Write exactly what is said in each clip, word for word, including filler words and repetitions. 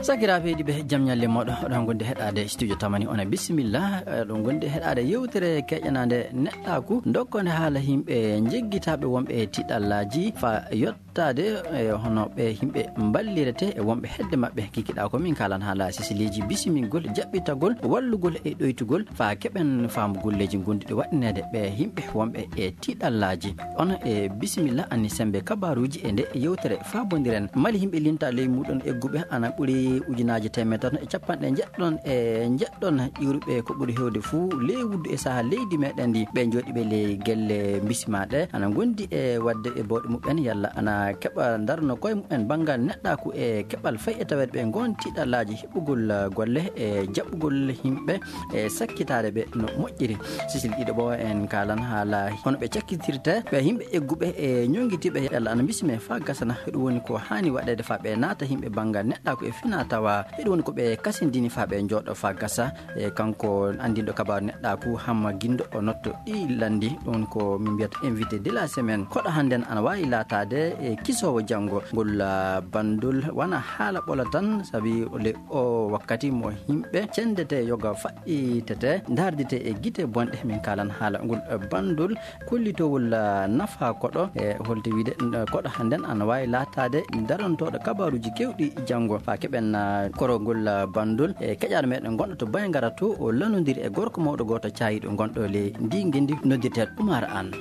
Sakiraaɓe heɗiiɓe, jam ñalle mooɗon. Oɗon ngondi heɗaade studio Tamani, on e bisimilla. Oɗon ngondi heɗaade yewtere keƴanaande neɗɗaaku, dokkonde haala yimɓe jeggitaaɓe wonɓe e tiɗallaaji fa yottaade e hono ɓe yimɓe mballirete e wonɓe hedde maɓɓe. Kikiɗaa ko min kaalan haala sisiliiji bisimingol, jaɓɓitagol, wallugol e ɗoytugol fa keɓen faamu golleeji ngonduɗi waɗineede ɓe yimɓe wonɓe e tiɗallaaji. On e bisimilla, anni sembe kabaaruuji e nde yewtere faabondiren. Mali yimɓe linta ley muuɗon egguɓe ana ɓuri ujunaaji teemedere tati e capanɗe njeɗɗon e njeɗɗon ƴiwruɓe ko ɓuri heewde fuu ley wuddu e saha leydi meɗen ndi. Ɓe jooɗiiɓe ley gelle bisimaaɗe ana ngondi e waɗde e bawɗe muɓɓen yalla ana keɓa ndarno koye muɓɓen banngal neɗɗaaku e keɓal fay e taweede ɓe ngon tiɗallaaji heɓugol golle e jaɓɓugol yimɓe e sakkitaade ɓe no moƴƴiri. Sisil ɗiɗo ɓo en kaalan haala hono ɓe cakkitirta ɓe yimɓe egguɓe e ñoŋgitiiɓe yalla ana bisime fa gasana. Heɗum woni ko haani waɗeede fa ɓe naata yimɓe banngal neɗɗaaku e fina tawa. Heɗum woni ko ɓe kasindini fa ɓe jooɗo fa gasa. E kanko anndinɗo kabaaru neɗɗaaku Hamma Gindo o notto ɗi lanndi. Ɗum ko min mbiyata invité de la semaine. Koɗo hannden ana waawi laataade e kisoowo janngo. Ngol, ah, banndol wona haala ɓolo tan, sabi le o wakkati mo yimɓe cendete yoga faɗɗitete, ndaardite e gite bonɗe. Min kaalan haala ngol, ah, banndol kollitowol, ah, nafa koɗo. E holto wiide, ah, koɗo hannden ana waawi laataade darantooɗo kabaaruuji keewɗi janngo. Fa keɓen, ah, korogol, ah, banndol e keƴaaɗo meɗen gonɗo to Bayngara to o lanondiri e gorko mawɗo gooto caayiiɗo gonɗo ley ndi ngenndi noddirteeɗo Umar Aan.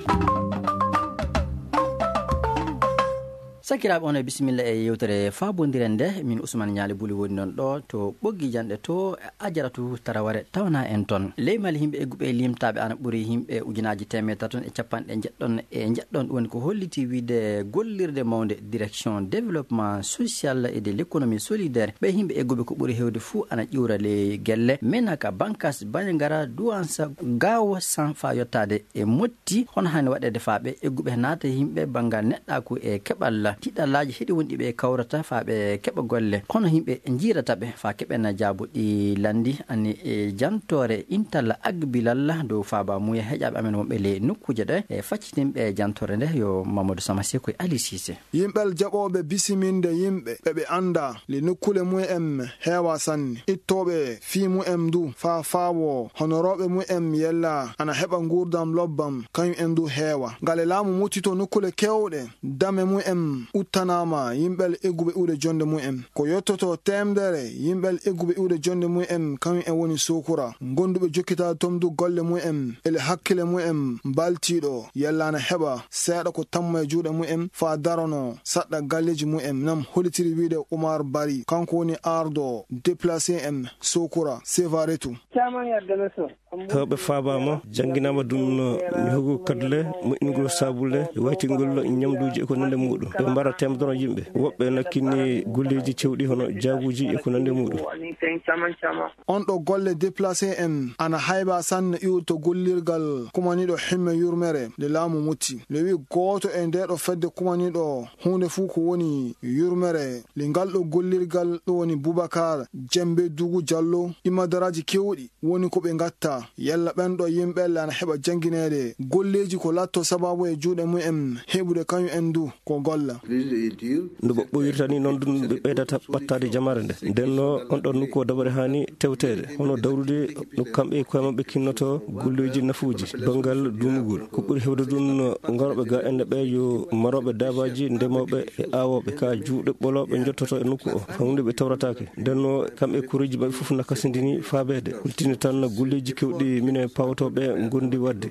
Sakiraaɓe, on e bisimilla e yewtere faabondiren nde. Min Ousmane Ñaali Buli woni noon ɗo to Ɓoggi Janɗe to Ajaratu Taraware tawana en toon. Ley Mali yimɓe egguɓe e limtaaɓe ana ɓuri yimɓe ujunaaji teemedere tati e capanɗe njeɗɗon e njeɗɗon. Ɗum woni ko holliti wiide gollirde mawnde direction développement social et de l'économie solidaire. Ɓe yimɓe egguɓe ko ɓuri heewde fuu ana ƴiwra ley gelle Menaka, Bankas, Banjagara, Duwansa, Gaawo San fa yottaade e Motti. Hono haani waɗeede fa ɓe egguɓe naata yimɓe banngal neɗɗaaku e keɓal tiɗallaaji heɗi wonɗi ɓe kawrata fa ɓe keɓa golle. Hono yimɓe njiirata ɓe fa keɓen jaabuɗi lanndi ani e jantoore intalla agbilalla dow faaba muuya heƴaaɓe amen wonɓe ley nokkuuje ɗe e faccitinɓe jantoore nde yo Mamadou Sama Seku e Ali Cissé. Yimɓel jaɓooɓe bisiminde yimɓe ɓe ɓe annda le nokkule mu'en heewa sanne. Ittooɓe fii mu'en du faa faawo honorooɓe mu'en yella ana heɓa nguurndam lobbam, kañum en du heewa. Ngale laamu muttito nokkule keewɗe, dame mu'en uttanaama yimɓel egguɓe iwde jonnde mu'en. Ko yottoto teemdere yimɓel egguɓe iwde jonnde mu'en, kañum en woni sukura. Gonduɓe jokkitaade toon du golle mu'en, ele hakkile mu'en mbaltiiɗo, yalla ana heɓa seeɗa ko tamma e juuɗe mu'en faa darono saɗɗa galleeji mu'en. Nam hollitiri wiide Umar Bari, kanko woni ardo déplacé en sukura Sevaretu. Caman yadda na so. Hewɓe faabaama, jannginaama ɗum, ñohugol kaddule, moƴƴingol saabulle, waytingol ñamduuji e ko nanndi muuɗum. Ɓe mbara teemdoro yimɓe. Woɓɓe nakkini golleeji cewɗi hono jaabuuji e ko nanndi muuɗum. On ɗo golle déplacé en ana hayba sanne iwto gollirgal kumaniiɗo himme yurmere nde laamu mutti. Nde wi gooto e nde ɗo fedde kumaniiɗo huunde fuu ko woni yurmere nde ngal ɗo gollirgal ɗo woni Bubakar Jembe Dugu Jallo. Ɗi madaraaji keewɗi woni ko ɓe ngatta. Yalla ɓen ɗo yimɓe ana heɓa janngineede golleeji ko latto sababu e juuɗe mumen heɓude kañum en du ko golla. No ɓoɓɓoyirta ni noon ɗum ɓe ɓeydata ɓattaade jamaare nde. Nden no on ɗon nokku o dabare haani tewteede. Hono dawrude no kamɓe e koye maɓɓe kinnoto golleeji nafuuji banngal duumugol. Ko ɓuri heewde ɗum no ngarooɓe ga enne ɓe yo marooɓe daabaaji, ndemooɓe e aawooɓe. Ka juuɗe ɓolooɓe njottoto e nokku o. Fawde ɓe tawrataake. Nden no kamɓe kureeji maɓɓe fof na kasindini faabeede. Hultini tan golleeji kewɗi minen pawotooɓe ngondi waɗde.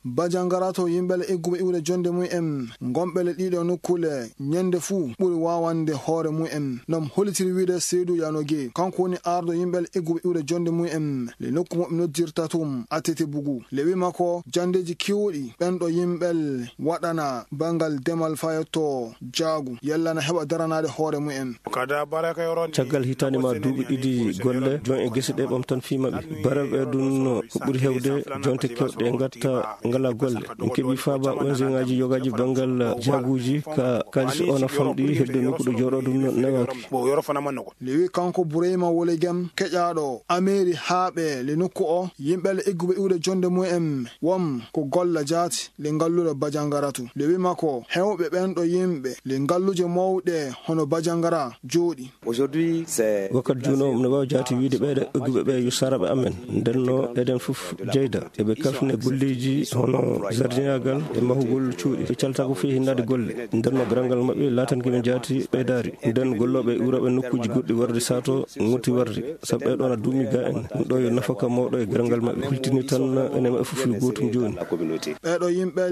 Bajangara to yimɓe le egguɓe iwde jonde mum en, gonɓe le ɗiɗo nokkule, ñande fuu ɓuri waawande hoore mum en. Nom hollitiri wiide Seydou Yanoge, kanko woni arɗo yimɓe le egguɓe iwde jonde mum en, le nokku mo ɓe noddirta tum A T T Bugu. Le wi makko, jandeeji kewɗi ɓen ɗo yimɓe le waɗana banngal demal fayotto jaagu, yalla na heɓa daranaade hoore mum en. Caggal hitaande ma duuɓi ɗiɗi golle, jon e gese ɗe ɓamtan fii maɓɓe. Bareeɓe ɗum ko ɓuri heewde jonte kewɗe ngatta ngala golle. En keɓi faaba O N G ŋaaji yogaaji banngal jaaguuji ka Kaalis o na famɗi, heddo nokku ɗo jooɗo ɗum no newaki. Lewi kanko Bureyma Wolegem, keƴaaɗo Ameeri haaɓe le nokku o, yimɓe le egguɓe iwde jonde mum en, won ko golla jaati le ngalluɗo Bajangaratu. Lewi makko, hewɓe ɓen ɗo yimɓe le ngalluje mawɗe hono Bajangara jooɗi. Wakkat juuno, no waawi jaati wiide ɓeeɗo egguɓe ɓe yo saraɓe amen. Ndenno eɗen fof jeyda. Eɓe kafne golleeji hono jardinaagal e mahugol cuuɗi. Ɓe calta ko fii hinnaade golle. Ndenno garangal maɓɓe laatan ko ɓe jaati ɓeydaari. Nden gollooɓe iwrooɓe nokkuuji goɗɗi warde sato ŋutti warde. Sabu ɓeeɗo na duumi ga en. Ɗum ɗo yo nafaka mawɗo e garangal maɓɓe. Hultini tan enen maɓɓe fof yo gootum jooni. Ɓeeɗo yimɓe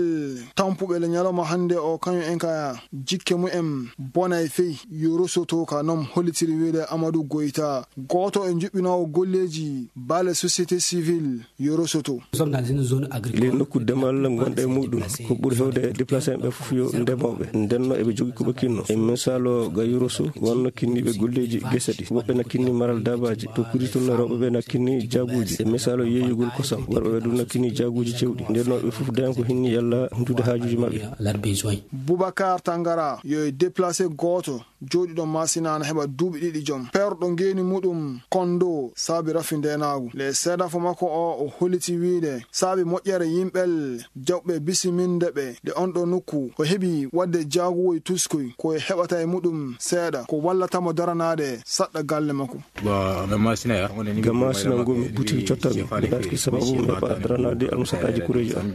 tampuɓe le ñalawma hannde o, kañum en ka jikke mumen bonay fey, yo rosoto ka nom hollitiri wiide Amadou Goyta, gooto e juɓɓinoowo golleeji baale société civile, yo rosoto. Nous sommes dans une zone agricole. Ley nokku demal ngonɗe e muɗum, ko ɓuri hewde déplacé ɓe fof yo ndemooɓe. Ndenno eɓe jogi ko ɓe kinno. E misalo ga Yoroso, wonno kinniiɓe golleeji gese ɗi. Woɓɓe na kinni maral daabaaji, to kuri tun rewɓe ɓe na kinni jaaguuji. E misalo yeeyugol kosam, worɓe ɓe ɗum na kinni jaaguuji cewɗi. Ndenno ɓe fof dañan ko hinni yalla huntude haajuuji maɓɓe. Leurs besoins. Boubacar Tangara, yo e déplacé gooto jooɗiiɗo Masina na heɓa duuɓi ɗiɗi joom. Perɗo ngeeni muɗum Kondo saabi rafi ndeenaagu. Le seedafo makko o, o holliti wiide saabi moƴƴere yimɓel jaɓɓe bisiminde ɓe nde on ɗo nokku, o heɓi waɗde jaaguwoy tuskoy ko e heɓata e muɗum seeɗa, ko wallata mo daranaade saɗɗa galle makko. Bon, ga Masina ya. Ga Masina ngomi buti cottami. Mi ɗaɗki sababu mi heɓa daranaade almusaɗaaji kureeji am.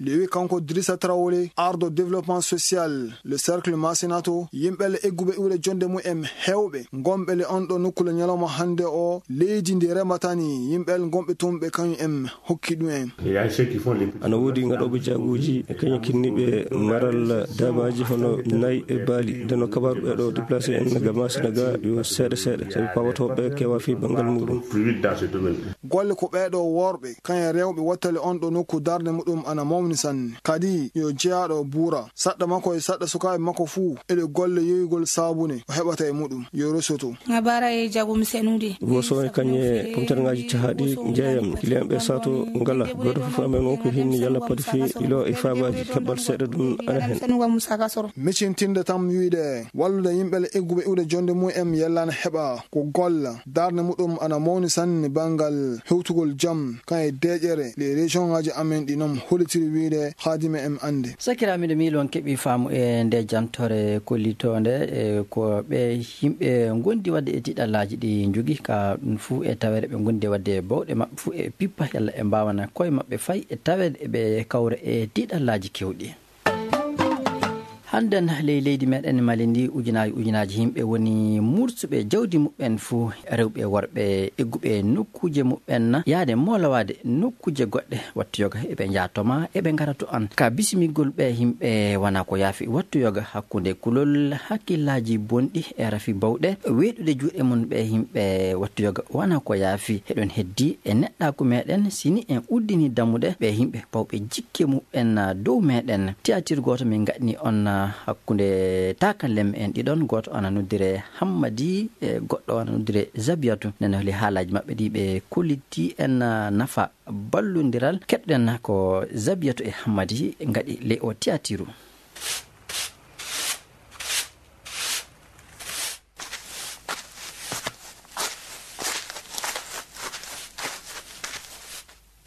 Lewi kanko Drissa Traoré, ardo développement social, le cercle Masinato, yimɓe le egguɓe iwre jonde mum en hewɓe, gonɓe le on ɗo nokku le ñalawma hannde o, leydi ndi rematani, yimɓe le gonɓe toon ɓe kañum en hokki ɗum en. Ana woodi ngaɗooɓe jaaguuji, e kañum kinniiɓe maral daabaaji hono nayi e baali. Ndeno kabaaru ɓeeɗo déplacé en ga Masina ga yo seeɗa seeɗa, sabi paawotooɓe kewa fii banngal muɗum. Golle ko ɓeeɗo worɓe, kañum rewɓe wattale on ɗo nokku darnde muɗum ana mawni sanne. Kadi yo jeyaaɗo buura, saɗɗa makko e saɗɗa sukaaɓe makko fuu, eɗe golle yoyugol saabune o heɓata e muɗum. Yo rosoto. Nga bara e jagum senude. Woso e kañe pomterŋaaji cahaaɗi njeeyam, kiliyanɓe sato ngala. Gooto fof amen won ko hinni yalla padi fii ilo e faabaaji, keɓal seeɗa ɗum ana hen. Micintinde tan wiide wallude yimɓe le egguɓe iwde jonde mum en yalla na heɓa ko golla. Darnde muɗum ana mawni sanne banngal hewtugol jam, kan e deeƴere, les région ŋaaji amen ɗi noon hollitiri wiide haadima en annde. Sakiraaɓe, miɗo miiloo on keɓii faamu e nde jantore kollitoonde, e ko ɓe yimɓe ngondi waɗde e tiiɗallaaji ɗi njogi, ka ɗum fuu e taweede ɓe ngondi waɗde bawɗe maɓɓe fuu e pippa, yalla e mbaawana koye maɓɓe fay e taweede ɓe kawra e tiiɗallaaji kewɗi. Hannden ley leydi meɗen Mali ndi, ujunaaji ujunaaji yimɓe woni mursuɓe jawdi muɓɓen fuu, rewɓe e worɓe egguɓe nokkuuje muɓɓen, yahde moolowaade nokkuuje goɗɗe. Wattu yoga eɓe njaha to ma, eɓe ngara to an. Ka bisimigol ɓe yimɓe wona ko yaafi. Wattu yoga hakkunde kulol, hakkillaaji bonɗi e rafi bawɗe, weeɗude juuɗe mum ɓe yimɓe. Wattu yoga wona ko yaafi. Eɗon heddi e neɗɗaaku meɗen, si ni en uddini dammuɗe ɓe yimɓe bawɓe jikke muɓɓen dow meɗen. Tiyaatir gooto min ngaɗni on hakkunde taakalle en ɗiɗon, gooto ana noddire Hammadi, e goɗɗo ana noddire Zabiyatu. Nana holi haalaaji maɓɓe ɗi ɓe kolliti en nafa ballondiral. Keɗɗen ko Zabiyatu e Hammadi ngaɗi ley o tiyatiru.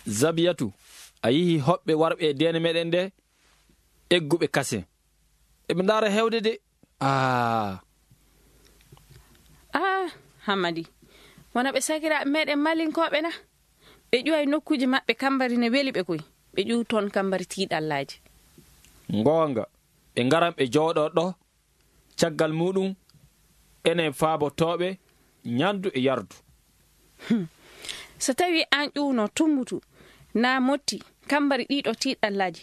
Zabiyatu, a yihi hoɓɓe warɓe e deene meɗen nde, egguɓe kase. Eɓe ndaara hewde de. Ah. Ah, Hammadi. Wona ɓe sakiraaɓe meɗen Malinkooɓe na? Ɓe ƴuway nokkuuji maɓɓe kambari ne weli ɓe koy. Ɓe ƴuw toon kambari tiiɗallaaji. Ngoonga, ɓe ngaran ɓe jooɗoo ɗo. Caggal muɗum, enen faabotooɓe ñandu e yardu. Hmm. So tawi an ƴuwno tumbutu, na motti, kambari ɗiɗo tiiɗallaaji,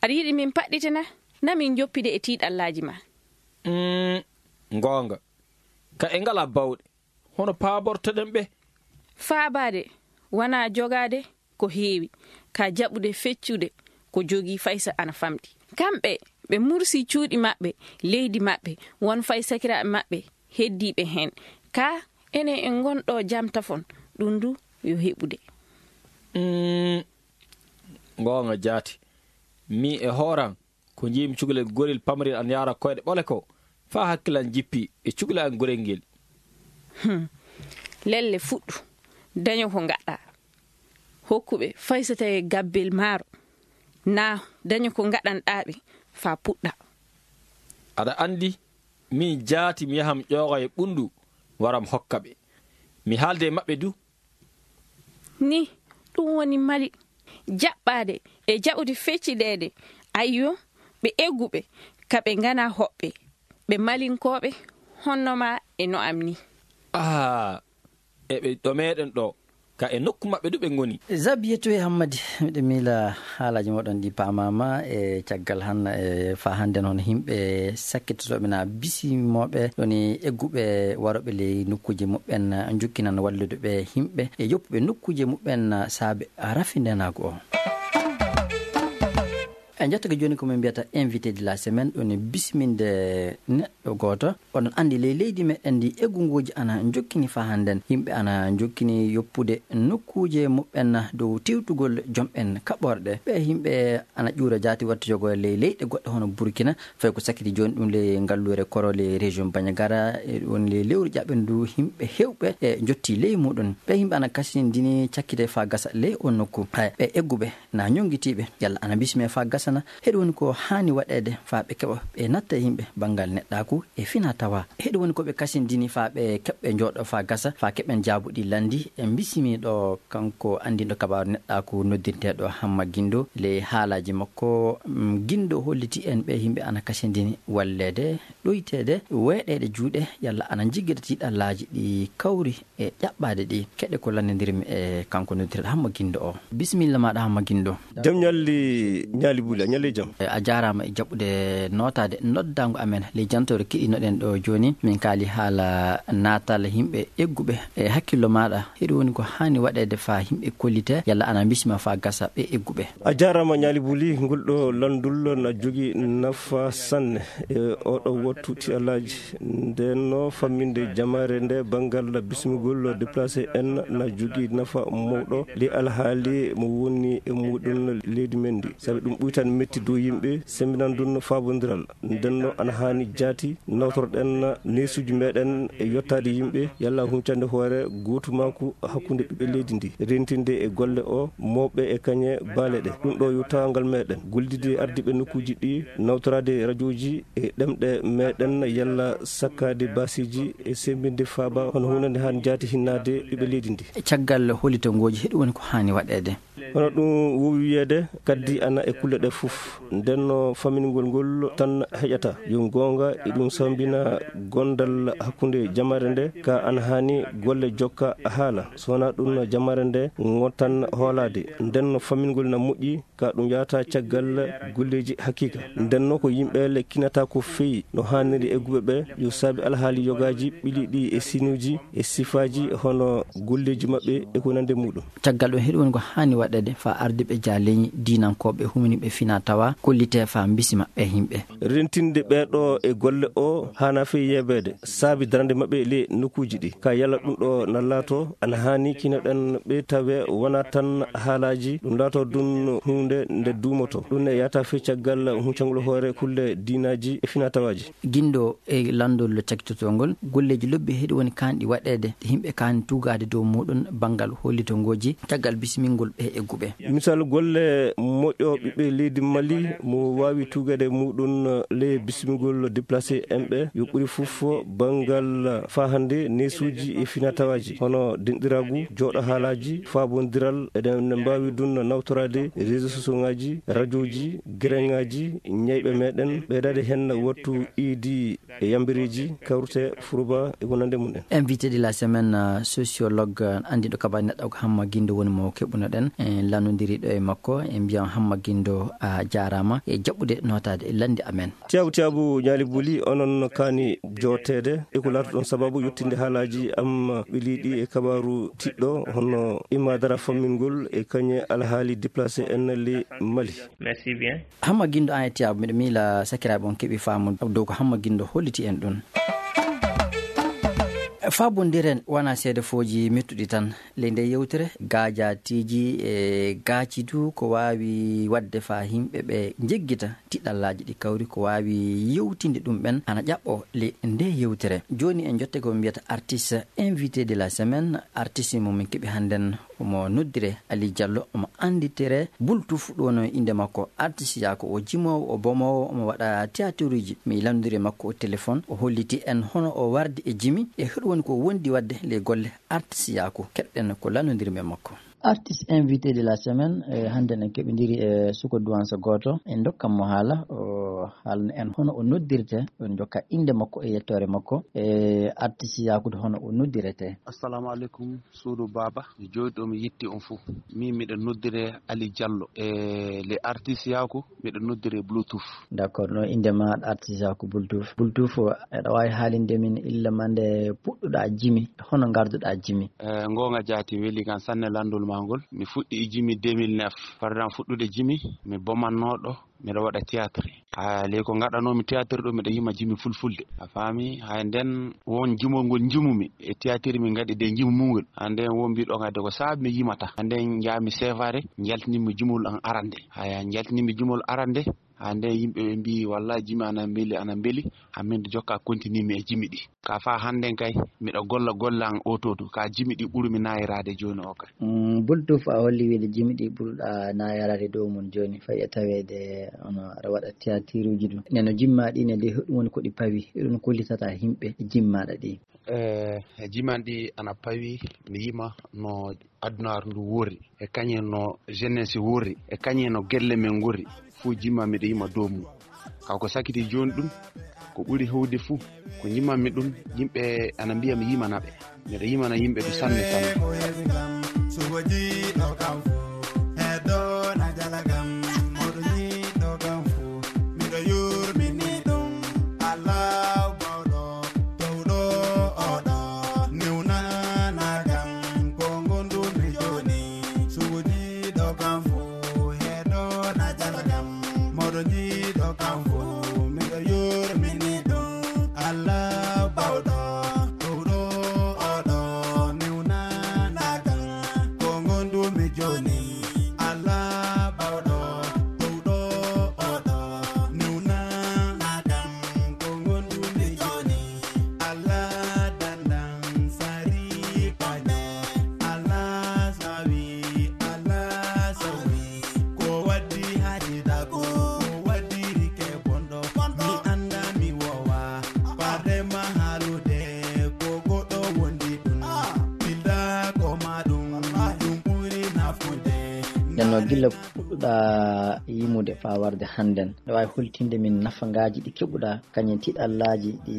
aɗa yiɗi min paɗɗitina? Na min joppide e tiiɗallaaji ma. Mm, ngoonga. Ka e ngala bawɗe. Hono paabortoɗen ɓe? Faabaade, wonaa jogaade ko heewi, ka jaɓude feccude ko jogii fay so ana famɗi. Kamɓe, ɓe mursi cuuɗi maɓɓe, leydi maɓɓe, won fay sakiraaɓe maɓɓe heddiiɓe heen. Ka enen en ngonɗo jam tafon, ɗum du yo heɓude. Mm, ngoonga jaati. Mi e hooram, Ko njiimi cukalel gorel pamarel ana yahra koyɗe ɓole ko, faa hakkil an jippi e cukalel an gorel ngel. Hmm. Lelle fuɗɗu, daño ko ngaɗɗaa. Hokku ɓe fay so tawii gabbel maaro, naa daño ko ngaɗanɗaa ɓe faa puɗɗa. Aɗa anndi, miin jaati mi yaha mi ƴooga e ɓunndu, wara mi hokka ɓe. Mi haalda e maɓɓe du. Ni, ɗum woni Mali. Jaɓɓaade e jaɓude fecciɗeede. Ayyo, ɓe egguɓe, ka ɓe nganaa hoɓɓe. Ɓe Malinkooɓe, honno maa e no am ni. Aa, eɓe ɗo meeɗen ɗo, ka e nokku maɓɓe du ɓe ngoni. Zabiyetu e Hammadi, miɗo miila haalaaji moɗon ɗi paamaama e caggal han, e faa hannden hono yimɓe sakkitotooɓe naa bisimooɓe, woni egguɓe warooɓe ley nokkuuje muɓɓen, njokkinan wallude ɓe yimɓe e yoppuɓe nokkuuje muɓɓen saabe rafindenaagu o. En njettake jooni ko min mbiyata invité de la semaine, ɗum woni bisiminde neɗɗo gooto. Oɗon anndi ley leydi meɗen ndi, eggungooji ana njokkini faa hannden. Yimɓe ana njokkini yoppude nokkuuje muɓɓen dow tewtugol jom'en kaɓorɗe. Ɓee yimɓe ana ƴuura jaati waɗtude ko ley leyɗe goɗɗe hono Burkina, fay ko sakkiti jooni ɗum ley ngalluure Koro ley région Bandiagara, e woni ley lewru ƴaɓɓindu yimɓe heewɓe e njotti ley muɗum. Ɓee yimɓe ana kasindini cakkite faa gasa ley on nokku. Hay ɓee egguɓe na ñonngitiiɓe, yalla ana bismee faa gasana. Heɗi woni ko haani waɗeede faa ɓe keɓa ɓe natta e yimɓe banngal neɗɗaaku e fina tawa. Heɗi woni ko ɓe kasindini faa ɓe keɓɓe njooɗo faa gasa, faa keɓen jaabuɗi lanndi. E bismii ɗo kanko anndinɗo kabaaru neɗɗaaku noddirteeɗo Hamma Gindo. Ley haalaaji makko, mm, Gindo holliti en ɓee yimɓe ana kasindini walleede, ɗoyteede, weeɗeede juuɗe, yalla ana njiggida tiiɗallaaji ɗi kawri e ƴaɓɓaade ɗi. Keɗe ko lannondirmi e kanko noddirteeɗo Hamma Gindo o. Bisimilla maaɗa, Hamma Gindo. Jam ñalli, ñaali Buli, a ñalli jam. E, a jaaraama e jaɓɓude nootaade noddaango amen ley jantoore keɗinoɗen ɗo jooni. Min kaali haala naatal yimɓe egguɓe. E hakkillo maaɗa, heɗi woni ko haani waɗeede faa yimɓe kollite, yalla ana bisma faa gasa ɓee egguɓe? A jaaraama, ñaali Buli, ngol ɗo lanndol na jogii nafa sanne e oo ɗo wattu tiiɗallaaji. Ndeen no famminde jamaare nde banngal bismugol déplacé en na jogii nafa mawɗo ley alhaali mo woni e muɗum leydi men ndi. Sabi ɗum ɓuytan metti dow yimɓe, sembinan ɗum faabondiral. Ndeen no ana haani jaati nawtorɗen neesuuji meɗen e yottaade yimɓe, yalla huncande hoore gootumaaku hakkunde ɓiɓɓe leydi ndi, rentinde e golle o mawɓe e kañe baale ɗe. Ɗum ɗo yo tawangal meɗen, gollidde e ardiiɓe nokkuuji ɗi, nawtoraade rajooji e ɗemɗe meɗen, yalla sakkaade baasiiji e semmbinde faaba hono hunande haan jaati hinnaade ɓiɓɓe leydi ndi. E caggal hollitagol ngooji, heɗi woni ko haani waɗeede? Hono ɗum wowi wiyeede, kaddi ana e kulle ɗe fof. Ndeen no fammingol ngol tan heƴata. Yo goonga, e ɗum sambina gondal hakkunde jamaare nde, ka ana haani golle jokka haala. So wonaa ɗum, jamaare nde ngootan hoolaade. Ndeen no fammingol na moƴƴi, ka ɗum yahata caggal golleeji hakiika. Ndeen no ko yimɓe le kinata ko feewi no haaniri egguɓe ɓe, yo saabi alhaali yogaaji ɓiliiɗi e sinuuji e sifaaji hono golleeji maɓɓe e ko nandi muɗum. Caggal ɗum, heɗi woni ko haani waɗeede faa ardiiɓe jaaleeñi diinankooɓe, huminiiɓe fina tawa, kollitee faa mbisma ɓee yimɓe. Rentinde ɓee ɗo e golle o haana fey yeebeede, saabi darande maɓɓe ley nokkuuji ɗi. Ka yalla ɗum ɗo na laato, ana haani kinoɗen ɓe tawe wona tan haalaaji, ɗum laato ɗum huunde nde duumoto. Ɗum ne yahata fey caggal huncangol hoore kulle diinaaji e fina tawaaji. Gindo e lanndol cakkitotoo ngol, golleeji lobbi heɗi woni kaanɗi waɗeede, yimɓe kaani tuugaade dow muɗum banngal hollitagol ngooji, caggal bismingol ɓee egguɓe. Misal, golle moƴƴo ɓiɓɓe leydi Mali mo waawi tuugaade muɗum ley bismingol déplacé en ɓe, yo ɓuri fof banngal fahande neesuuji e fina tawaaji, hono denɗiraagu, jooɗo haalaaji, faabondiral, eɗen mbaawi ɗum nawtoraade réseaux sociaux ŋaaji, rajooji, gereŋaaji, ñayɓe meɗen, ɓeydaade heen wattu iidi e yambireeji, kawrite, furuba e wonande mum en. Invité de la semaine, euh, sociologue, euh, anndiiɗo kabaaji neɗɗo ko Hamma Gindo woni mo keɓunoɗen. En lannondiri ɗo e makko, en mbiyan Hamma Gindo a jaaraama e jaɓɓude nootaade e lanndi amen. Tiyaabu, tiyaabu, ñaali buli, onon kaani jooteede e ko laatoɗon sababu yottinde haalaaji am ɓiliiɗi e kabaaru tiɗɗo hono imma dara fammingol e kañe alhaali déplacé en le Mali. Merci bien. Hamma Gindo, an e Tiyaabu, miɗo miila sakiraaɓe on keɓi faamu dow ko Hamma Gindo holliti en ɗum. Faabondiren wona seedefooji mettuɗi tan. Ley nde yewtere, gaajaatiiji e gaaci du ko waawi waɗde faa yimɓe ɓe njeggita tiɗallaaji ɗi kawri ko waawi yewtinde ɗum ɓen ana ƴaɓɓo ley nde yewtere. Jooni en njotte ko mbiyata artiste invité de la semaine. Artiste mo min keɓi hannden omo noddire Ali Diallo, omo annditire Bultuf ɗo no innde makko. Artiste yaa ko o jimoowo, o bomoowo, omo waɗa théâtreji. Mi lanndiri makko o téléphone, o holliti en hono o wardi e jimi e hoɗum woni ko wondi waɗde ley golle artiste yaa ko. Keɗɗen ko lanndondirmi e makko. Artiste invité de la semaine, e hannde en keɓindiri e suko duwansa gooto. En ndokkan mo haala, o haalna en hono o noddirte, on njokka innde makko e yettoore makko. E artiste Yaakuuda hono o noddirete. Assalamu alaikum, suudu baaba. Mi jooɗi ɗo, mi yetti on fuu. Min miɗo noddire Ali Diallo. E le artiste Yaaku, miɗo noddire Bluetooth. D'accord, no innde ma artiste Yaaku Bluetooth. Bluetooth, eɗa waawi haalinde min illa ma nde puɗɗuɗaa jimi, hono ngarduɗaa jimi? E, ngoonga jaati weli kan sanne lanndol ma ngol. Mi fuɗɗi e jimi deux mille neuf. Fardam fuɗɗude jimi, mi bomannooɗo, miɗo waɗa théâtre. A ley ko ngaɗanoomi théâtre ɗo, miɗo yima jimi fulfulde. A faami? Hay nden won jimol ngol jimumi e théâtre min ngaɗi de jimumungol. Hande won mbiɗo ngade ko saabi mi yimata. Hande njaami sevare, njaltinimi jimol an arande. Haya, njaltinimi jimol arande. Hande yimɓe ɓe mbi, "Wallahi jimi ana mbeli, ana mbeli." Amin jokka continue mi e jimi ɗi. Ka fa hannden kay, miɗo golla golle an oto du. Ka jimi ɗi ɓurumi nayiraade jooni o kay. Mm, Bultuf a holli wiide jimi ɗi ɓurɗa nayiraade dow mun jooni, fay e taweede ono aɗa waɗa tiyatiruuji ɗum. Neno jimma ɗi ne de, hoɗum woni ko ɗi pawi? Hiɗum kollitata yimɓe jimmaɗa ɗi? Eh, e jiman ɗi ana pawi, mi yima no addunaar ndu worri, e kañe no jeunesse worri, e kañe no gelle men ngorri. Fuu jimma miɗo yima dow mum. Ka ko sakiti jooni ɗum, ko ɓuri hewde fuu, ko jimmanmi ɗum, yimɓe ana mbiya mi yimana ɓe. Miɗo yimana yimɓe du sanne sanne. Sugo jiiɗo kam fuu, heddo na jala kam, moɗo jiiɗo kam fuu, miɗo yurmini ɗum. Allah bawɗo, towɗo oɗo, newnana kam, ko ngondumi jooni. Sugo jiiɗo kam fuu, heddo na jala kam, moɗo jiiɗo kam fuu, miɗo yurmini ɗum. Allah bawɗo, towɗo oɗo, newnana kam, ko ngondumi jooni. Allah bawɗo, towɗo oɗo, newnana kam, ko ngondumi jooni. Allah dandan sari pañe, Allah sawi, Allah sawi. Ko waddi haaji dago, ko waddiri ke bonɗo. Mi anda mi wowa, parde ma haalude, ko goɗɗo wondi ɗum. Pilda ko ma ɗum, ɗum ɓuri nafude. Nden no gilla puɗɗuɗa yimude faa warde hannden, aɗa waawi holtinde min nafangaaji ɗi keɓuɗa, kañum tiɗallaaji ɗi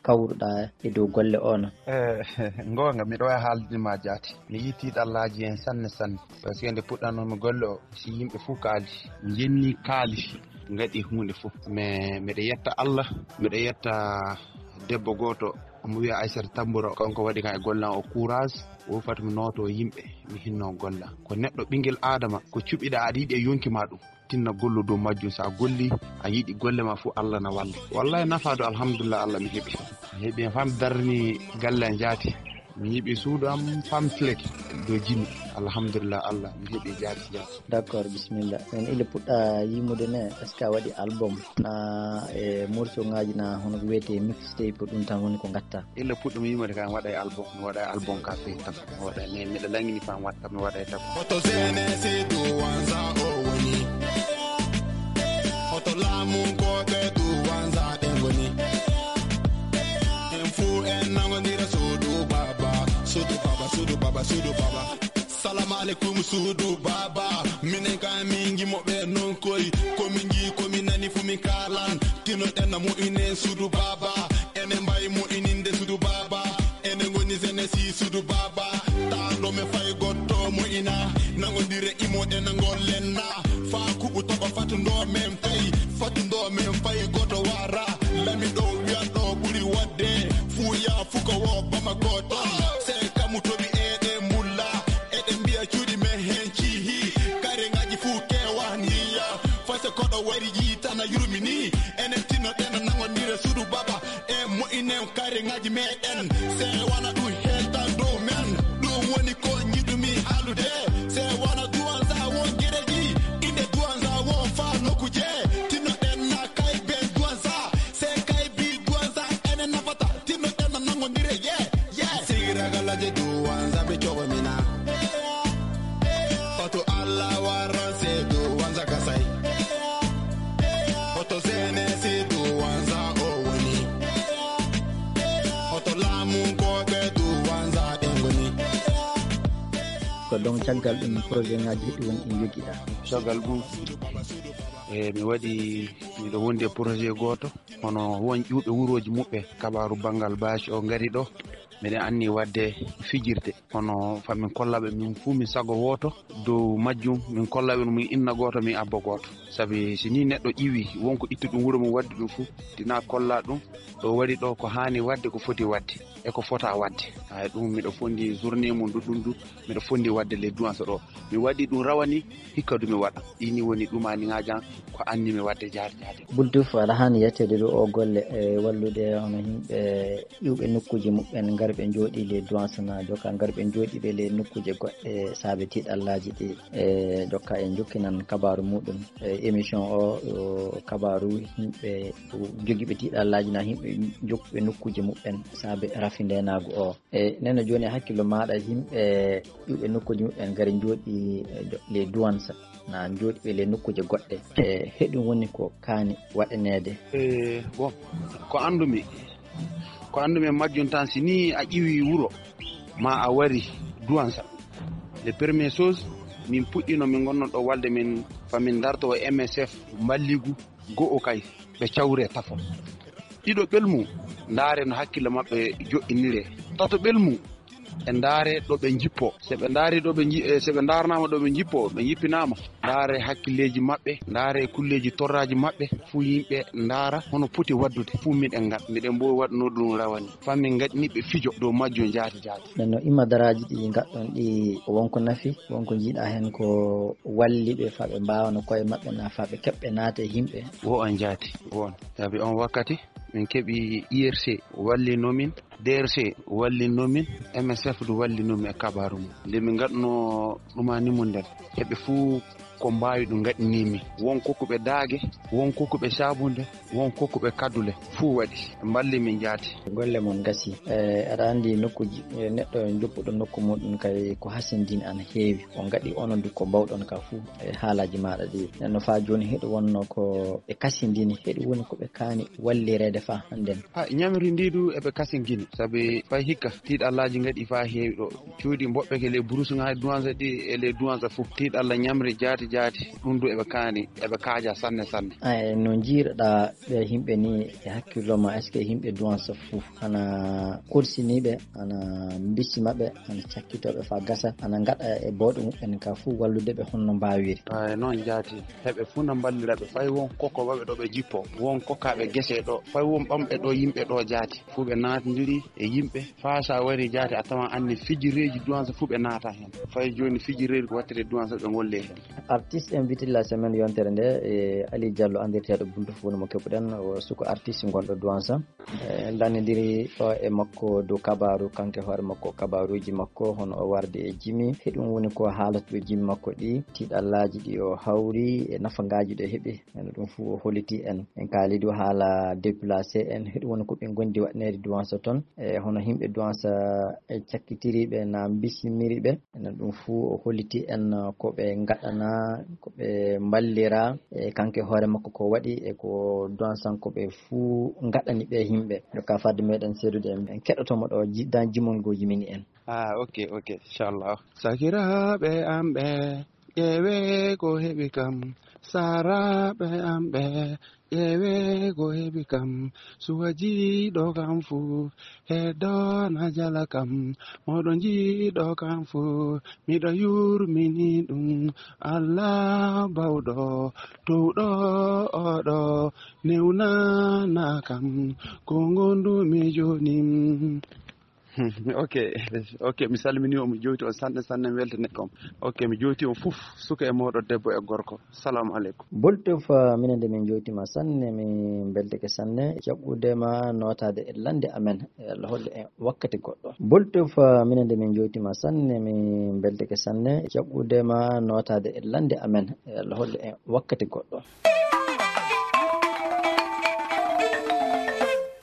kawruɗa e dow golle o no? Eh, ngoonga, miɗo waawi haalde ma jaati. Mi yii tiɗallaaji en sanne sanne. Parce que nde puɗɗanoomi golle o, si yimɓe fuu kaali, njenni kaali, ngaɗi huunde fuu. Mais miɗo yetta Allah, miɗo yetta debbo gooto, omo wiya Aysata Tambura, kanko waɗi kan e golle am o courage, o fati mi nooto yimɓe, mi hinno golle am. Ko neɗɗo ɓinngel Aadama, ko cuɓiɗa aɗa yiɗi e yonki ma ɗum, tinna gollo dow majjum. So a golli, a yiɗi golle ma fuu, Allah na walla. Wallahi nafaado, alhamdulillah, Allah mi heɓi. Mi heɓi en fam darni galle am jaati. Mi yiɓi suudu am pamflet dow jimi. Alhamdulillah, Allah, mi heɓi jaati jaati. D'accord, bismillah. Men ile puɗɗa yimude ne, est-ce que a waɗi album? Na e morceau ngaji na hono ko wiyete mixtape, ɗum tan woni ko ngatta? Illa puɗɗum yimude kan waɗa e album, mi waɗa e album ka feewi tan. Mi waɗa, mi, miɗo langini fam waɗa, mi waɗa e tan. Hoto Zene Seydou Wanza o woni? Hoto laamu ko ɓe du Wanza ɓe ngoni? En fuu en nangondira suudu baba, suudu baba, suudu baba, suudu baba. Salam alaikum suudu baba. Minen ka min ngi mo ɓe non koy. Ko min ngi, ko min nani fu min kalan. Tino ɗen na mo inen suudu baba. Enen mbay mo ininde suudu baba. Enen ngoni senesi suudu baba. Taando me fay gotto mo ina. Nangondire imo ɗen na ngollen na. Fa kuɓu toɓa fatundo men fay. Fatundo men fay goto wara. Lami ɗo wiya ɗo ɓuri wadde. Fuya fuka wo bama goto. Se kamu toɓi eɗe mbulla. Eɗen mbiya cuuɗi men heen ciihi, kareŋaaji fuu kewa ndiya. Fase koɗo wari yiitana yurmini. Enen tinnoɗen nangondire suudu baba. E mo'in En kari ngaji meɗen, se wana ɗum helta dow men. Ɗum woni ko njiɗumi haalude. Se wana duwanza won gereji, inde duwanza won fa nokuje. Tinnoɗen na kay ben duwanza, se kay bi duwanza ene nafata. Tinnoɗen na nangodire, yeah, yeah. Sigi ragalaje duwanza ɓe cogo mina. Oto Allah waran se duwanza kasai. Oto zene se duwanza o woni. Oto laamu ko ɓe duwanza ɓe ngoni. Ko ɗon caggal ɗum projet ŋaaji heɗi woni ɗi njoggiɗa. Caggal ɗum, e mi waɗi, miɗo wondi e projet gooto, hono won ƴuuɓe wurooji muɓɓe, kabaaru banngal baasi o ngari ɗo. Miɗen anni waɗde fijirde, hono fa min kollaɓe min fuu min sago wooto, dow majjum min kollaɓe min inna gooto, min abba gooto. Sabi si ni neɗɗo ƴiwi wonko ittu ɗum wuro mum waddi ɗum fuu, dina kolla ɗum, ɗo waɗi ɗo ko haani waɗde, ko foti waɗde, e ko fota waɗde. Ay, ɗum miɗo fondi journée mum ɗuɗɗum du, miɗo fondi waɗde les douanes ɗo. Mi waɗi ɗum rawani, hikka du mi waɗa. Ɗi ni woni ɗumani ngajan, ko anni mi waɗde jaade jaade. Bultuf, aɗa haani yetteede ɗo o golle e wallude hono yimɓe ƴuwɓe nokkuuji muɓɓen, ngar ɓe njooɗi les douanes na jokka, ngar ɓe njooɗi ɓe les nokkuuje goɗɗe saabe tiiɗallaaji ɗi. E jokka en jokkinan kabaaru muɗum. E émission o, o kabaaru yimɓe jogiiɓe tiiɗallaaji na yimɓe jokkuɓe nokkuuje muɓɓen saabe rafi ndeenaagu o. E neno jooni e hakkillo maaɗa yimɓe ƴuwɓe nokkuuje muɓɓen ngari njooɗi, e, jo-, les douanes na njooɗi ɓe les nokkuuje goɗɗe. E heɗum woni ko kaani waɗaneede. E bon, ko anndumi, ko anndumi e majjum tan, si ni a ƴiwi wuro ma a wari duwansa, les premières choses, min puɗɗino min ngonno ɗo walde min fa min darto o M S F mballigu go'o kay ɓe cawre tafo. Ɗiɗo ɓel mum, ndaare no hakkille maɓɓe joɗɗinire. Tato ɓel mum, e ndaare ɗo ɓe njippo. Se ɓe ndaari ɗo ɓe nji-, eh, se ɓe ndaarnaama ɗo ɓe njippo, ɓe njippinaama. Ndaare hakkilleeji maɓɓe, ndaare kulleeji torraaji maɓɓe, fuu yimɓe ndaara hono poti waddude. Fuu miɗen nga-, miɗen mboowi waɗuno ɗum rawani. Fa min ngaɗini ɓe fijo dow majjum jaati jaati. Nden no imma daraaji ɗi ngaɗɗon ɗi wonko nafi, wonko njiiɗa heen ko walli ɓe fa ɓe mbaawa no koye maɓɓe na fa ɓe keɓɓe naata e yimɓe. Wo on jaati, wo on. Sabi on wakkati, min keɓi I R C wallino min, D R C wallino min, M S F du wallino min e kabaaru mum. Nde min ngaɗno ɗumani mum nden, heɓe fuu ko mbaawi ɗum ngaɗini min. Won kokkuɓe daage, won kokkuɓe saabunde, won kokkuɓe kaddule, fuu waɗi. Mballi min jaati. Golle mon ngasi. E, aɗa anndi nokkuuji, e, neɗɗo joppuɗo nokku muɗum kay ko hasindin ana heewi. On ngaɗi onon du ko mbawɗon ka fuu e haalaaji maaɗa ɗi. Nenno faa jooni heɗo wonno ko ɓe kasindini, heɗo woni ko ɓe kaani wallireede faa hannden. Ha, ñamri ndi du eɓe kasingini, sabi fay hikka tiiɗallaaji ngaɗi faa heewi ɗo. Cuuɗi mboɓɓe ke les brousse ŋaaji duwansa ɗi e les duwansa fof. Tiiɗalla ñamri jaati jaati, ɗum du eɓe kaani, eɓe kaaja sanne sanne. Ay, no njiiruɗaa ɓe yimɓe ni e hakkillo ma, est-ce que yimɓe duwansa fof ana korsiniiɓe, ana mbisi maɓɓe, ana cakkitooɓe faa gasa, ana ngaɗa e bawɗe muɓɓen ka fuu wallude ɓe honno mbaawiri? Ay, noon jaati. Heɓe fuu na mballira ɓe. Fay won kokko waɓe ɗo ɓe jippo, won kokkaaɓe gese ɗo, fay won ɓamɓe ɗo yimɓe ɗo jaati. Fuu ɓe naatindiri e yimɓe. Faa so a wari jaati a tawan anni fijireeji duwansa fuu ɓe naata heen. Fay jooni fijireeji ko wattete duwansa ɓe ngolle heen. Artiste invité de la semaine yontere nde, e Ali Diallo anndirteeɗo Bultu Fuuna mo keɓuɗen, o suko artiste gonɗo duwansa. E, en lanndindiri ɗo e makko dow kabaaru, kanko e hoore makko, kabaaruuji makko, hono o wardi e jimi. Heɗum woni ko haalata ɗo jimi makko ɗi, tiiɗallaaji ɗi o hawri, e nafangaaji ɗi o heɓi. Ene ɗum fuu o holliti en. En kaali du haala déplacé en, heɗum woni ko ɓe ngondi waɗneede duwansa toon. E, hono yimɓe duwansa e cakkitiriiɓe na mbisimiri ɓe. Enen ɗum fuu o holliti en ko ɓe ngaɗana, ko ɓe mballira, e kanko e hoore makko ko waɗi, e ko duwansankoɓe fuu ngaɗani ɓe yimɓe. Jokka fadde meɗen seedude en, en keɗoto mo ɗo ji-, dan jimol ngoo jimini en. Ah, ok, ok, inchallah. Sakiraaɓe am ɓe, ƴeewe ko heɓi kam. Saaraaɓe am ɓe, ƴeewe ko heɓi kam. Suwa jiiɗo kam fuu, heddo na jala kam. Moɗo jiiɗo kam fuu, miɗo yurmini ɗum. Allah bawɗo, towɗo oɗo, newnana kam ko ngondumi jooni. Ok, ok, mi salmini on, mi jowti on sanne sanne, mi weltani on. Ok, mi jowti on fof, suka e mawɗo, debbo e gorko. Salamu aleykum. Boltof, ah, minen de min jowtima sanne, min beltike sanne jaɓɓude ma notade e lande amen. E Allah hollu en wakkati goɗɗo. Boltof, ah, minen de min jowtima sanne, min beltike sanne jaɓɓude ma notade e lande amen. E Allah hollu en wakkati goɗɗo.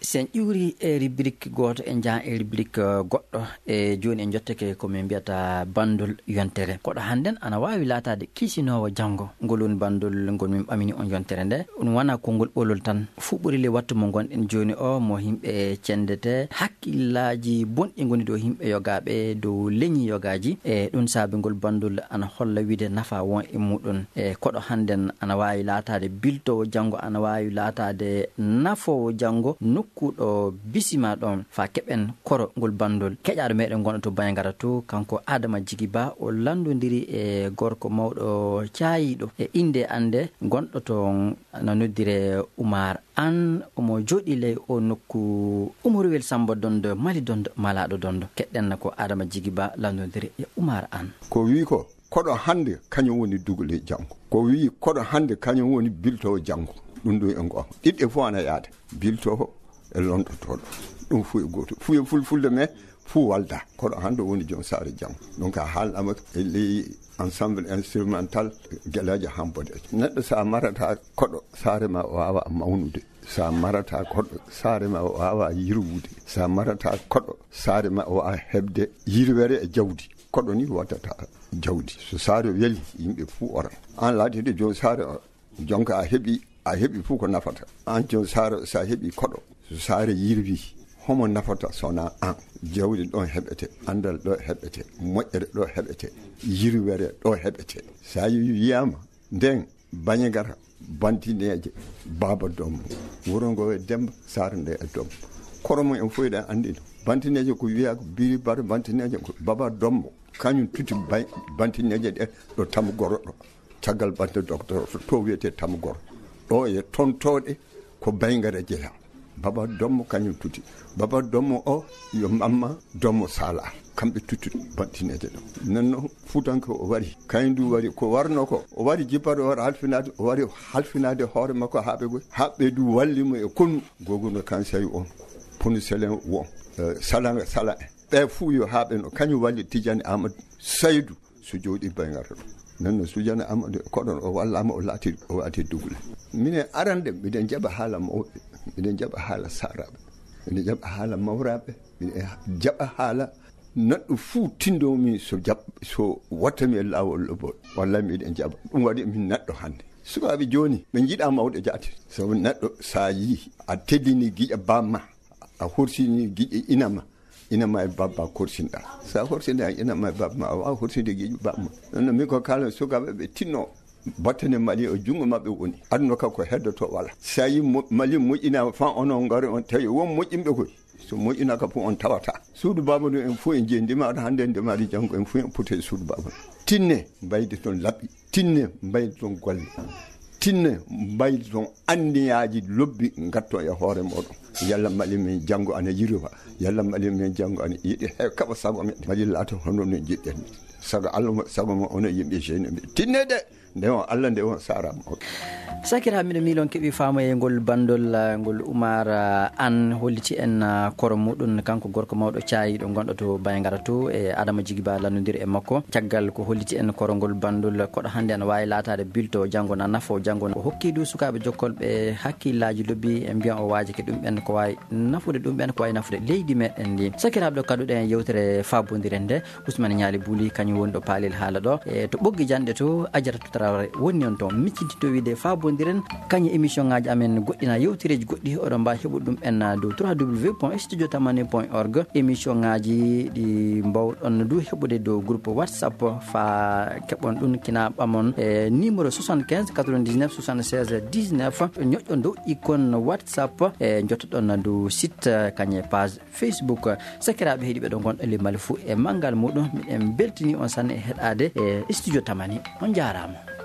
Sen ƴuuri e rubrique gooto, en njahan e rubrique, eh, goɗɗo. E jooni en jottake ko min mbiyata bandol yontere. Koɗo hannden ana waawi laataade kiisinoowo janngo. Ngol woni bandol ngol min ɓamini on yontere nde. Ɗum wona konngol ɓolol tan. Fuɓɓori le wattu mo ngonɗen jooni o, mo yimɓe cendete, hakkillaaji bonɗi ngoni dow yimɓe yogaaɓe, dow leñi yogaaji. E ɗum saabi ngol bandol ana holla wiide nafa won e muɗum. E koɗo hannden ana waawi laataade biltoowo janngo, ana waawi laataade nafoowo janngo, nokku ɗo bisima ɗon, faa keɓen koro ngol bandol. Keƴaaɗo meɗen gonɗo to Bayngara to, kanko Adama Jigi Ba, o lanndondiri e gorko mawɗo caayiiɗo e innde annde gonɗo toon, na noddire Umar An, omo jooɗi ley o nokku Umaruwel Samba Dondo, Mali Dondo, Malaaɗo Dondo. Keɗɗen ko Adama Jigi Ba lanndondiri e Umar An. Ko wii ko, koɗo hannde kañum woni dugale janngo. Ko wii koɗo hannde kañum woni biltoowo janngo. Ɗum ɗo e ngoonga. Ɗiɗɗe fof ana yaada. Biltoowo e londotooɗo. Ɗum fof e gooto. Fof e fulfulde, mais fof walda. Koɗo hannde woni joom saare janngo. Donc a haalnaama e ley ensemble instrumental Gelaajo Hambodeejo. Neɗɗo so a marata koɗo, saare ma waawa mawnude. So a marata koɗo, saare ma waawa yirwude. So a marata koɗo, saare ma waawa heɓde yirwere e jawdi. Koɗo ni waɗata jawdi. So saare weli, yimɓe fuu ora. Aan laatiiɗo joom saare o, jonka a heɓi, a heɓi fuu ko nafata. Aan joom saare o, so a heɓi koɗo, so saare yirwi, homo nafata so wonaa aan? Jawdi ɗo heɓete, anndal ɗo heɓete, moƴƴere ɗo heɓete, yirwere ɗo heɓete. So a yi-, wiyaama, nden Bañagara, Bantineeje, Baaba Dommo, wuro ngo e Demba, saare nde e Dommo. Koro mum en fof eɗen anndi ɗum. Bantineeje ko wiyaa ko Biri Bara Bantineeje ko Baaba Dommo. Kañum tuti bay-, Bantineeje ɗe ɗo Tamgoro ɗo. Caggal Bante Docteur to, to wiyetee Tamgoro. Ɗo e tontooɗe ko Bayngara jeyaa. Baaba Dommo kañum tuti. Baaba Dommo o yo Mamma Dommo Sala. Kamɓe tuttuɗe Bantineeje ɗo. Nden noon Fuutanke o wari. Kañum du wari ko warno ko. O wari jippade hoore halfinaade, o wari halfinaade hoore makko haa ɓe goy. Haa ɓe du walli mo e konu. Goguno Kansay on. Ponu Selen won. Eh, Salanga Sala en. Ɓe fuu yo haa ɓe no. Kañum walli Tijani Amadou Saydou. So jooɗii Bayngara ɗo. Nden no Sujana Amadou koɗon o wallaama, o laati, o waati dugule. Minen arande, miɗen jaɓa haala mawɓe, miɗen jaɓa haala saaraaɓe, miɗen jaɓa haala mawraaɓe, miɗen jaɓa haala neɗɗo fuu tinndoomi so jaɓ-, so watta mi e laawol lobbol. Wallay miɗen jaɓa. Ɗum waɗi min neɗɗo hannde. Sukaaɓe jooni, ɓe njiɗaa mawɗo jaati. Sabu neɗɗo, so a yii, a teddini giƴa baamma, a horsini giƴa inama, inama e babba korsinɗa. So a horsini inama e babba, a waawa horsinde giƴa baamma. Noon, min ko kala sukaaɓe ɓe tinno battane Mali o junngo maɓɓe woni. Aduna ka ko heddoto wala. So a yii mo-, Mali moƴƴinaama, fan onon ngari on tawi won moƴƴinɓe koy. So moƴƴinaaka fof on tawata. Suudu baaba ɗum en fof en jeyi, ndimaɗo hannde, ndimaɗo janngo, en fof en poti e suudu baaba. Tinne, mbaydi toon labbi. Tinne, mbaydi toon golle. Tinne, mbaydi toon anniyaaji lobbi ngatto e hoore mooɗon. Yalla Mali men janngo ana yirwa. Yalla Mali men janngo ana yiɗi he kaɓa sago men. Mali laata hono no jiɗɗen. Sago Allah mo, sago mo onon yimɓe jeyi no mbi-, tinne de. Nde on Allah, nde on saaraama. Ok. Sakiraaɓe, miɗo miiloo on keɓii faamoyee ngol banndol, ah, ngol Umar, ah, An holliti en, ah, koro muɗum, kanko gorko mawɗo caayiiɗo gonɗo to Bayngara to, e Adama Jigi Ba lanndondiri e makko. Caggal ko holliti en koro ngol banndol, koɗo hannde ana waawi laataade bilto janngo na nafo janngo. O hokki du sukaaɓe jokkolɓe hakkillaaji lobbi, e mbiyan o waajake ɗum ɓen ko waawi nafude, ɗum ɓen ko waawi nafude leydi meɗen ndi. Sakiraaɓe, ɗo kaɗuɗen yewtere faabondire nde. Ousmane Ñaali Buli, kañum woni ɗo paalel haala ɗo. E to ɓoggi janɗe to, Ajaratu Traoré woni on toon. Micciti to wiide faabondiren, kañum émission ŋaaji amen goɗɗi na yewtereeji goɗɗi, oɗon mbaawi heɓude ɗum en dow trois W point studio tamani point org. Émission ŋaaji ɗi mbawɗon du heɓude dow groupe WhatsApp, faa keɓon ɗum kina ɓamon e numéro soixante-quinze quatre-vingt-dix-neuf soixante-seize dix-neuf. Ñoƴƴon dow icône WhatsApp, e njottoɗon dow site, kañum e page Facebook. Sakiraaɓe heɗiiɓe ɗo ngonɗo limmale fuu e manngal muɗum, miɗen mbeltini on sanne e heɗaade e studio Tamani. On njaaraama.